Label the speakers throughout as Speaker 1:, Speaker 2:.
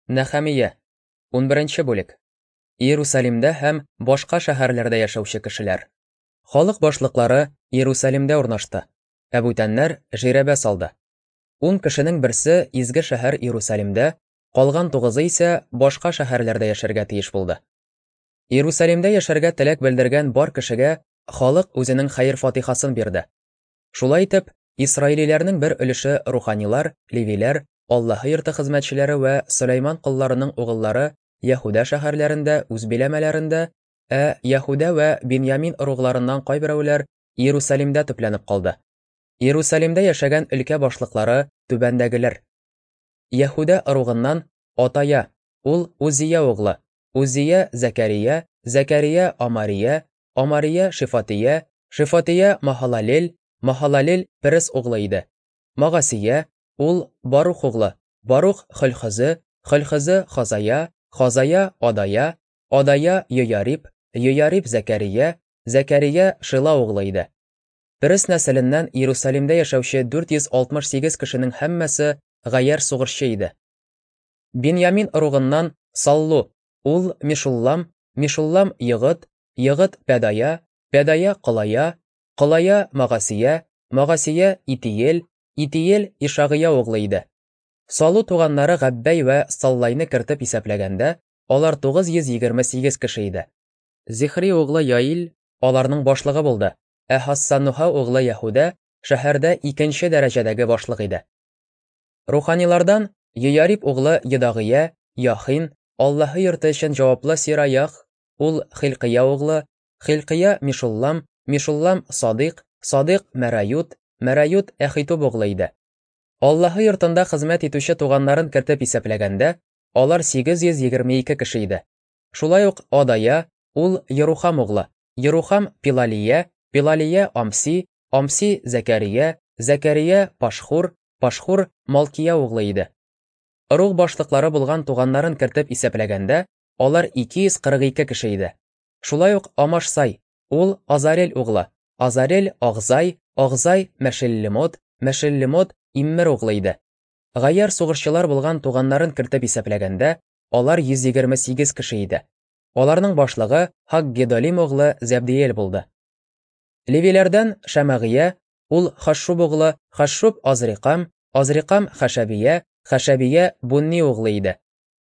Speaker 1: Нәхәмия, 11 бүлек. Иерусалимдә һәм башка шәһәрләрдә яшәүче кешеләр. Халык башлыклары Иерусалимдә урнашты, ә бүтәннәр жирәбә салды. Ун кешенең берсе изге шәһәр Иерусалимдә, калган тугызы исә башка шәһәрләрдә яшәргә тиеш булды. Иерусалимдә яшәргә теләк белдергән бар кешегә халык үзенең хәер-фатихасын бирде. Шулай итеп, исраилиләрнең бер өлеше руханилар, левиләр, Аллаһы йорты хезмәтчеләре вә Сөләйман колларының угыллары Яһүдә шәһәрләрендә үз биләмәләрендә, ә Яһүдә вә Биньямин ыругларыннан кайберәүләр Иерусалимдә төпләнеп калды. Иерусалимдә яшәгән өлкә башлыклары түбәндәгеләр. Яһүдә ыругыннан Атая, ул Узия углы, Узия Зәкәрия, Зәкәрия Амария, Амария Шефатия, Шефатия Махалалел, Махалалел Перес углы иде. Магасия, ул Барух углы, Барух Хөлхөзе, Хөлхөзе Хазая, Хазая Адая, Адая Йояриб, Йояриб Зәкәрия, Зәкәрия Шила углы иде. Перес нәселеннән Иерусалимдә яшәүче 468 кешенең һәммәсе гаярь сугышчы иде. Биньямин ыругыннан Саллу, ул Мешуллам, Мешуллам Йыгыт, Йыгыт Пәдая, Пәдая Колая, Колая Магасия, Магасия Итиел, Итиел Ишагыя углы иде. Салу туганнары Габбәй вә Саллайны кертеп исәпләгәндә, алар 928 кеше иде. Зихри углы Яил аларның башлыгы булды, ә Һассануһа углы Яһүдә шәһәрдә икенче дәрәҗәдәге башлык иде. Руханилардан Йояриб углы Йодагыя, Яхин, Аллаһы йорты өчен җаваплы Сираях, ул Хилкыя углы, Хилкыя Мишуллам, Мишуллам Садыйк, Садыйк Мәрают, Мәрают Әхитуб углы иде. Аллаһы йортында хезмәт итүче туганнарын кертеп исәпләгәндә, алар 822 кеше иде. Шулай ук Адая, ул Ерухам углы, Ерухам Пилалия, Пилалия Амси, Амси Зәкәрия, Зәкәрия Пашхур, Пашхур Малкия углы иде. Ыруг башлыклары булган туганнарын кертеп исәпләгәндә, алар 242 кеше иде. Шулай ук Амашсай, ул Азарель углы, Азарель Агзай, Агзай Мәшеллемот, Мәшеллемот Иммер углы иде. Гаярь сугышчылар булган туганнарын кертеп исәпләгәндә, алар 128 кеше иде. Аларның башлыгы Һаггедолим углы Зәбдиел булды. Левиләрдән Шәмәгыя, ул Хашшуб углы, Хашшуб Азрикам, Азрикам Хәшәбия, Хәшәбия Бунни углы иде.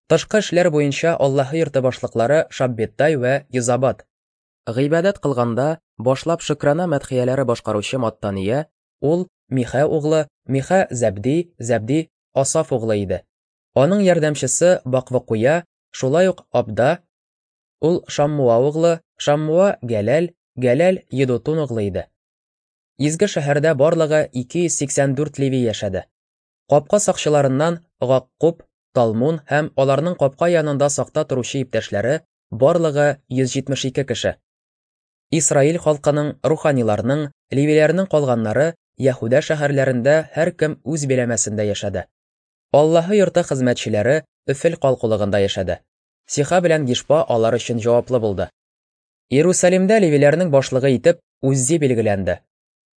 Speaker 1: Тышкы эшләр буенча Аллаһы йорты башлыклары Шаббеттай вә Йозабад. Гыйбадәт кылганда, башлап шөкрана мәдхияләре башкаручы Маттания, ул Михә углы, Михә Зәбди, Зәбди Асаф углы иде. Аның ярдәмчесе Баквыкуя, шулай ук Абда, ул Шаммуа углы, Шаммуа Гәләл, Гәләл Едутун углы иде. Изге шәһәрдә барлыгы 284 леви яшәде. Капка сакчыларыннан Гаккуб, Талмун һәм аларның капка янында сакта торучы иптәшләре барлыгы 172 кеше. Исраил халкының, руханиларның, левиләрнең калганнары Яһүдә шәһәрләрендә һәркем үз биләмәсендә яшәде. Аллаһы йорты хезмәтчеләре Өфел калкулыгында яшәде. Сиха белән Гишпа алар өчен җаваплы булды. Иерусалимдә левиләрнең башлыгы итеп Уззи билгеләнде.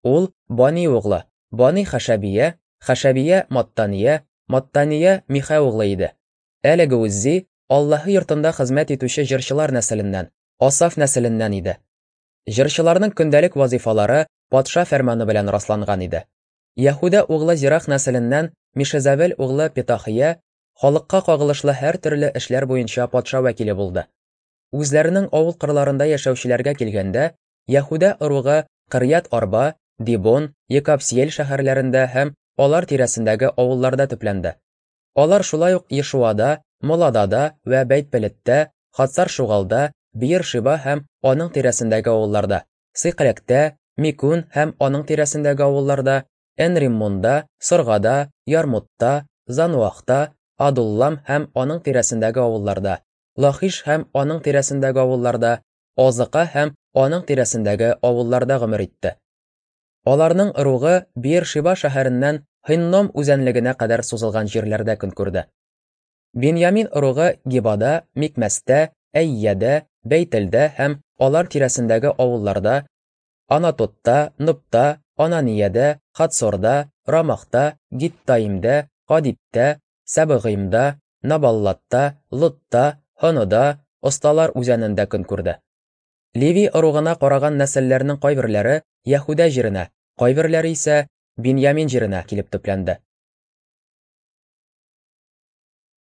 Speaker 1: Ул Бани углы, Бани Хәшәбия, Хәшәбия Маттания, Маттания Михә углы иде. Әлеге Уззи Аллаһы йортында хезмәт итүче җырчылар нәселеннән, Асаф нәселеннән иде. Җырчыларның көндәлек вазифалары патша фәрманы белән расланган иде. Яһүдә углы Зирах нәселеннән Мишезавел углы Петахия халыкка кагылышлы һәртөрле эшләр буенча патша вәкиле булды. Үзләренең авыл кырларында яшәүчеләргә килгәндә, Яһүдә ыругы Кырьят-Арба, Дибон, Екапсиел шәһәрләрендә һәм алар тирәсендәге авылларда төпләнде. Алар шулай ук Ешуада, Моладада вә Бәйт-Пелеттә, Хацар-Шугалда, Биер-Шиба һәм аның тирәсендәге авылларда, Сыйкъләктә, Микун һәм аның тирәсендәге авылларда, Эн-Риммонда, Соргада, Ярмутта, Зануахта, Адуллам һәм аның тирәсендәге авылларда, Лахиш һәм аның тирәсендәге авылларда, Азыка һәм аның тирәсендәге авылларда гомер итте. Аларның ыругы Биер-Шиба шәһәреннән Һинном үзәнлегенә кадәр сузылган җирләрдә көн күрде. Беньямин ыругы Гибада, Микмәстә, Әйядә, Бәйтелдә һәм алар тирәсендәге авылларда, Анатотта, Нобта, Ананиядә, Хацорда, Рамахта, Гиттаимдә, Хадидтә, Сәбыгыймда, Набаллатта, Лодта, Һонода, Осталар үзәнендә көн күрде. Леви ыругына караган нәселләрнең кайберләре Яһүдә җиренә, кайберләре исә Биньямин җиренә килеп төпләнде.